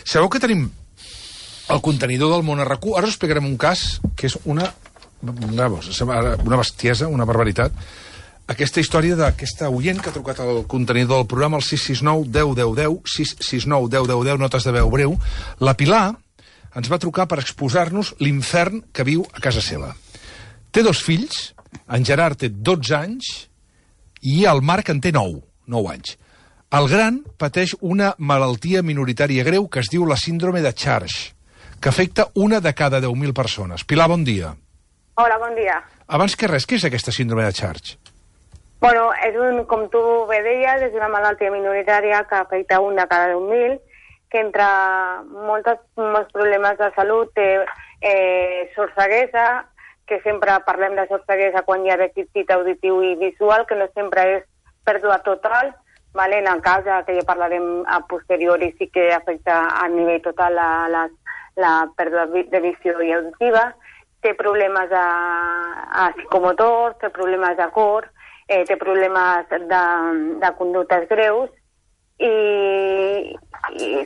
Sabeu que tenim el contenidor del món RQ? Ara us explicarem un cas que és una bestiesa, una barbaritat. Aquesta història d'aquesta oient que ha trucat al contenidor del programa, el 669 10 10 10, 669 10 10 10, notes de veu breu. La Pilar ens va trucar per exposar-nos l'infern que viu a casa seva. Té 2 fills, en Gerard té 12 anys i el Marc en té 9 anys. El gran pateix una malaltia minoritària greu que es diu la síndrome de Charge, que afecta 1 de cada 10.000 persones. Pilar, bon dia. Hola, bon dia. Abans que res, què és aquesta síndrome de Charge? Bueno, com tu bé deies, és una malaltia minoritària que afecta 1 de cada 10.000, que entre molts problemes de salut té sordceguesa, que sempre parlem de sordceguesa quan hi ha dèficit auditiu i visual, que no sempre és pèrdua total, vale? En el cas que ja parlarem a posteriori sí que afecta a nivell total la pèrdua de visió i auditiva, té problemes psicomotors, té problemes de cor, té problemes de conductes greus i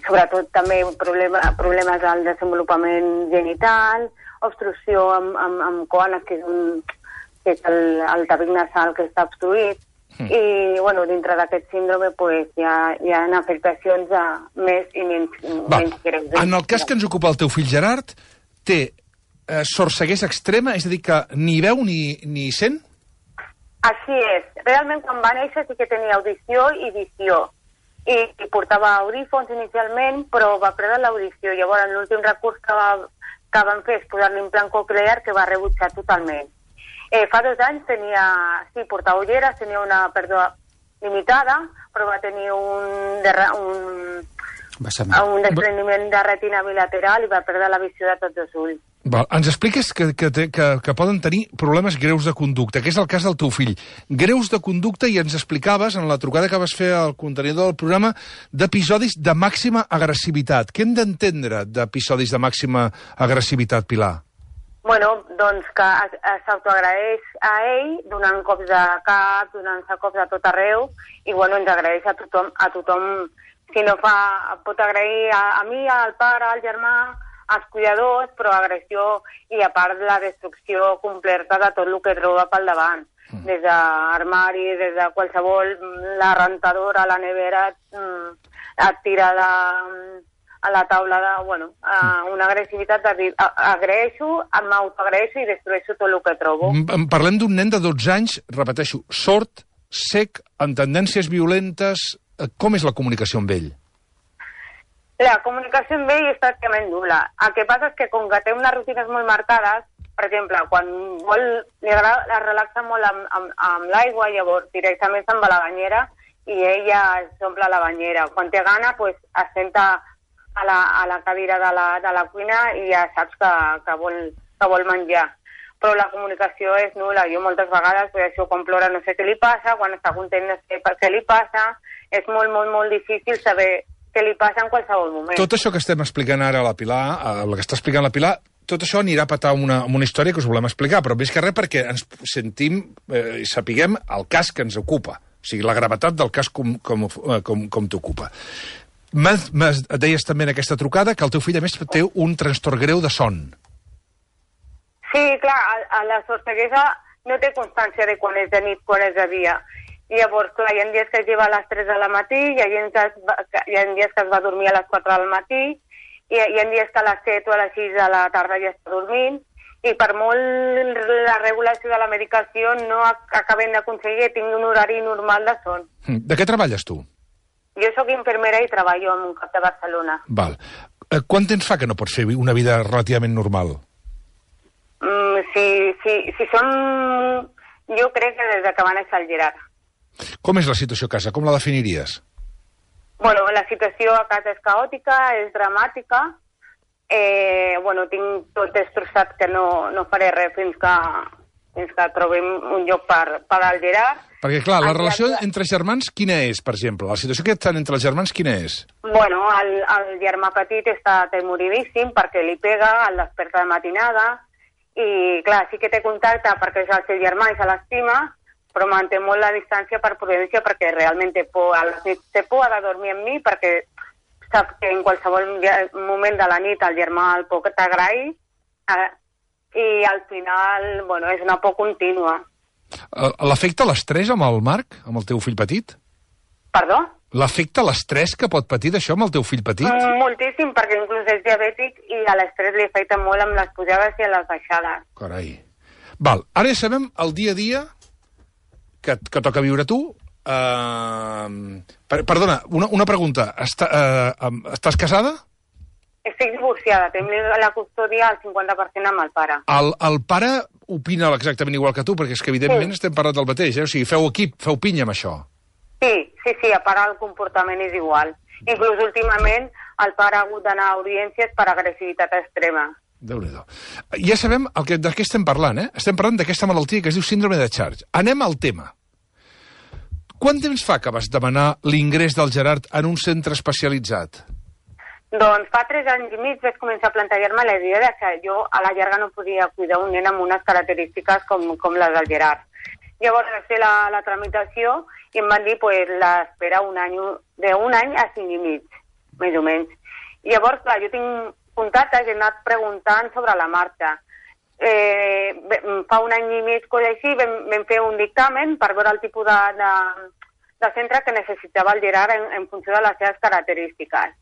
sobretot també problemes del desenvolupament genital, obstrucció amb coanes, que és el tabic nasal que està obstruït. I, bueno, dintre d'aquest síndrome hi ha afectacions més i menys greus. En el cas que ens ocupa el teu fill Gerard, té sordceguesa extrema, és a dir, que ni veu ni sent? Així és. Realment, quan va néixer sí que tenia audició i visió. I portava audífons inicialment, però va perdre l'audició. Llavors, l'últim recurs que van fer és posar-li un implant coclear que va rebutjar totalment. Fa 2 anys portava ulleres, tenia una pèrdua limitada, però va tenir un despreniment de retina bilateral i va perdre la visió de tots els ulls. Ens expliques que poden tenir problemes greus de conducta, que és el cas del teu fill. Greus de conducta, i ens explicaves, en la trucada que vas fer al contenidor del programa, d'episodis de màxima agressivitat. Què hem d'entendre d'episodis de màxima agressivitat, Pilar? Bueno, doncs que s'autoagraeix a ell donant cops de cap, donant-se cops a tot arreu, i bueno, ens agraeix a tothom. Si no pot agrair a mi, al pare, al germà, als cuidadors, però agressió i a part la destrucció completa de tot el que troba pel davant. Des d'armari, des de qualsevol, la rentadora, la nevera, et tira a la taula una agressivitat de dir, m'autoagraeixo i destrueixo tot el que trobo. Parlem d'un nen de 12 anys, repeteixo, sord, sec, amb tendències violentes. Com és la comunicació amb ell? La comunicació amb ell és pràcticament nul·la. El que passa és que com que té unes rutines molt marcades, per exemple, quan li relaxa molt amb l'aigua, llavors directament se'n va a la banyera i ella s'omple la banyera. Quan té gana, es senta a la cadira de la cuina i ja saps que vol menjar. Però la comunicació és nul·la. Jo moltes vegades, això, quan plora no sé què li passa, quan està content no sé què li passa. És molt, molt, molt difícil saber què li passa en qualsevol moment. Tot això que estem explicant ara a la Pilar, el que està explicant la Pilar, tot això anirà a petar una història que us volem explicar, però més que res perquè ens sentim i sapiguem el cas que ens ocupa, o sigui, la gravetat del cas com t'ocupa. Deies també en aquesta trucada que el teu fill, a més, té un trastorn greu de son. Sí, clar, a la sordceguesa no té constància de quan és de nit, quan és de dia. I llavors, clar, hi ha dies que es lleva a les 3 del matí, hi ha dies que es va dormir a les 4 del matí, hi ha dies que a les 7 o a les 6 de la tarda ja està dormint, i per molt la regulació de la medicació no acabem d'aconseguir que tingui un horari normal de son. De què treballes tu? Jo sóc infermera i treballo en un CAP de Barcelona. Val. Quant temps fa que no pots fer una vida relativament normal? Si som... Jo crec que des que va néixer el Gerard. Com és la situació a casa? Com la definiries? Bueno, la situació a casa és caòtica, és dramàtica. Tinc tot destrossat que no faré res fins que trobem un lloc per al Gerard. Perquè, clar, la relació entre germans quina és, per exemple? La situació que estan entre els germans quina és? Bueno, el germà petit està temoridíssim perquè li pega, el desperta de matinada, i, clar, sí que té contacte perquè és el seu germà i se l'estima, però manté molt la distància per prudència perquè realment té por. A les nits té por de dormir amb mi perquè sap que en qualsevol moment de la nit el germà el pot agrair i al final, bueno, és una por contínua. L'afecta l'estrès amb el Marc, amb el teu fill petit? Perdó? L'afecta l'estrès que pot patir d'això amb el teu fill petit? Moltíssim, perquè inclús és diabètic i a l'estrès li afecta molt amb les pujades i les baixades. Carai. Val, ara ja sabem el dia a dia que toca viure tu. Perdona, una pregunta. Estàs casada? Estic divorciada, tenim la custòdia al 50% amb el pare. El pare opina exactament igual que tu, perquè és que evidentment estem parlant del mateix, O sigui, feu equip, feu pinya amb això. Sí, a part el comportament és igual. Inclús últimament el pare ha hagut d'anar a audiències per agressivitat extrema. Déu-n'hi-do. Ja sabem de què estem parlant, Estem parlant d'aquesta malaltia que es diu síndrome de Charge. Anem al tema. Quant temps fa que vas demanar l'ingrés del Gerard en un centre especialitzat? Doncs fa 3 anys i mig vaig començar a plantejar-me la idea que jo a la llarga no podia cuidar un nen amb unes característiques com les del Gerard. Llavors vaig fer la tramitació i em van dir l'espera d'un any a 5 i mig, més o menys. Llavors, clar, jo tinc contactes i he anat preguntant sobre la marxa. Fa un any i mig, cosa així, vam fer un dictamen per veure el tipus de centre que necessitava el Gerard en funció de les seves característiques.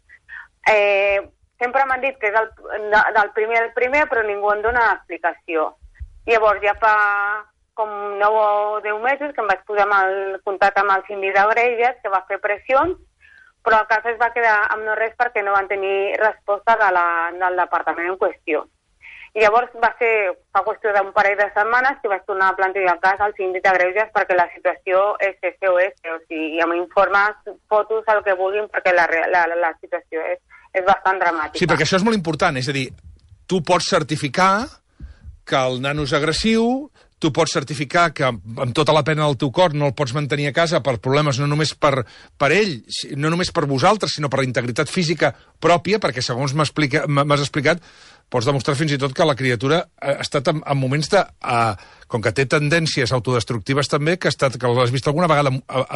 Sempre m'han dit que és del primer al primer, però ningú em dona explicació. Llavors, ja fa com 9 o 10 mesos que em vaig posar en contacte amb el síndic de Greuges, que va fer pressions, però el cas es va quedar amb no res perquè no van tenir resposta del departament en qüestió. I llavors va ser, fa qüestió d'un parell de setmanes, que vaig tornar a plantejar el cas al síndic de Greuges perquè la situació és SOS, o sigui, amb informes, fotos, el que vulguin, perquè la situació és bastant dramàtica. Sí, perquè això és molt important, és a dir, tu pots certificar que el nano és agressiu, tu pots certificar que amb tota la pena del teu cor no el pots mantenir a casa per problemes no només per ell, no només per vosaltres, sinó per la integritat física pròpia, perquè segons m'has explicat, pots demostrar fins i tot que la criatura ha estat en moments de... com que té tendències autodestructives també, que l'has vist alguna vegada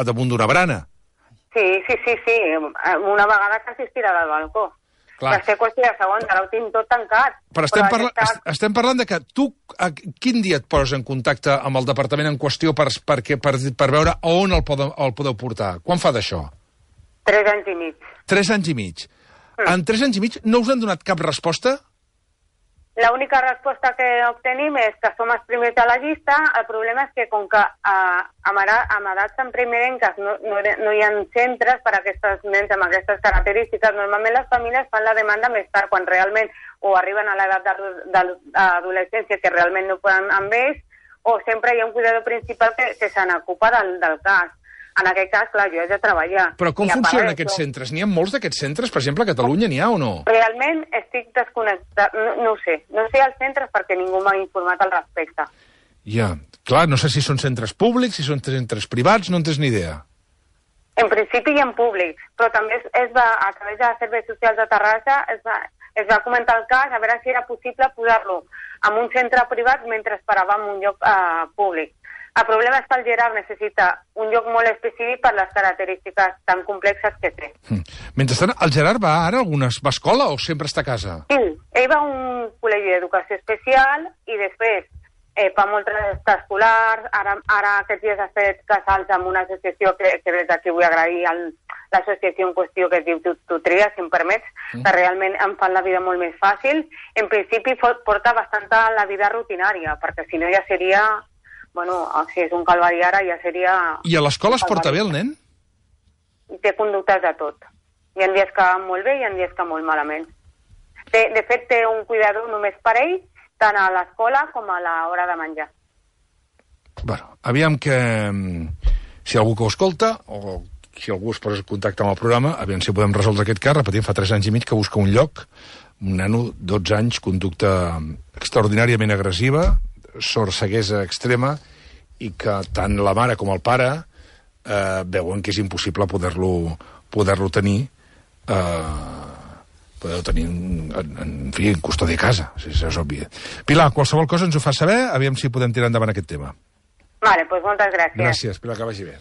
damunt d'una brana. Sí. Una vegada quasi es tira del balcó. Va ser qüestió de segons, ara ho tinc tot tancat. Però estem parlant de que tu, quin dia et poses en contacte amb el departament en qüestió per veure on el podeu portar? Quan fa d'això? 3 anys i mig. 3 anys i mig. En 3 anys i mig no us han donat cap resposta? L'única resposta que obtenim és que som els primers de la llista. El problema és que com que amb edats tan primerenques no hi ha centres per a aquests nens amb aquestes característiques, normalment les famílies fan la demanda més tard, quan realment o arriben a l'edat d'adolescència que realment no poden amb ells, o sempre hi ha un cuidador principal que se n'ocupa del cas. En aquest cas, clar, jo he de treballar. Però com funcionen aquests centres? N'hi ha molts d'aquests centres? Per exemple, a Catalunya n'hi ha o no? Realment estic desconnectat. No ho sé. No sé els centres perquè ningú m'ha informat al respecte. Ja. Clar, no sé si són centres públics, si són centres privats, no en tens ni idea. En principi hi ha públics, però també a través de Serveis Socials de Terrassa es va comentar el cas, a veure si era possible posar-lo en un centre privat mentre esperàvem un lloc públic. El problema és que el Gerard necessita un lloc molt específic per les característiques tan complexes que té. Mentrestant, el Gerard va ara va a escola o sempre està a casa? Sí, ell va a un col·legi d'educació especial i després fa moltes extraescolars. Ara aquests dies ha fet casals amb una associació que des d'aquí vull agrair l'associació en qüestió que es diu Tutria, si em permets, que realment em fan la vida molt més fàcil. En principi porta bastant la vida rutinària, perquè si no ja seria... Bueno, si és un calvari ara ja seria... I a l'escola es porta bé el nen? Té conductes de tot. Hi ha dies que van molt bé i hi ha dies que molt malament. De fet, té un cuidador només per ell, tant a l'escola com a l'hora de menjar. Bueno, aviam que... Si algú que ho escolta, o si algú es posa en contacte amb el programa, aviam si podem resoldre aquest cas. Repetim, fa 3 anys i mig que busca un lloc, un nano, 12 anys, conducta extraordinàriament agressiva, sorceguesa extrema, i que tant la mare com el pare veuen que és impossible poder-lo tenir en custòdia a casa, si és obvi. Pilar, qualsevol cosa ens ho fa saber, aviam si podem tirar endavant aquest tema. Vale, doncs moltes gràcies. Gràcies, Pilar, que vagi bé.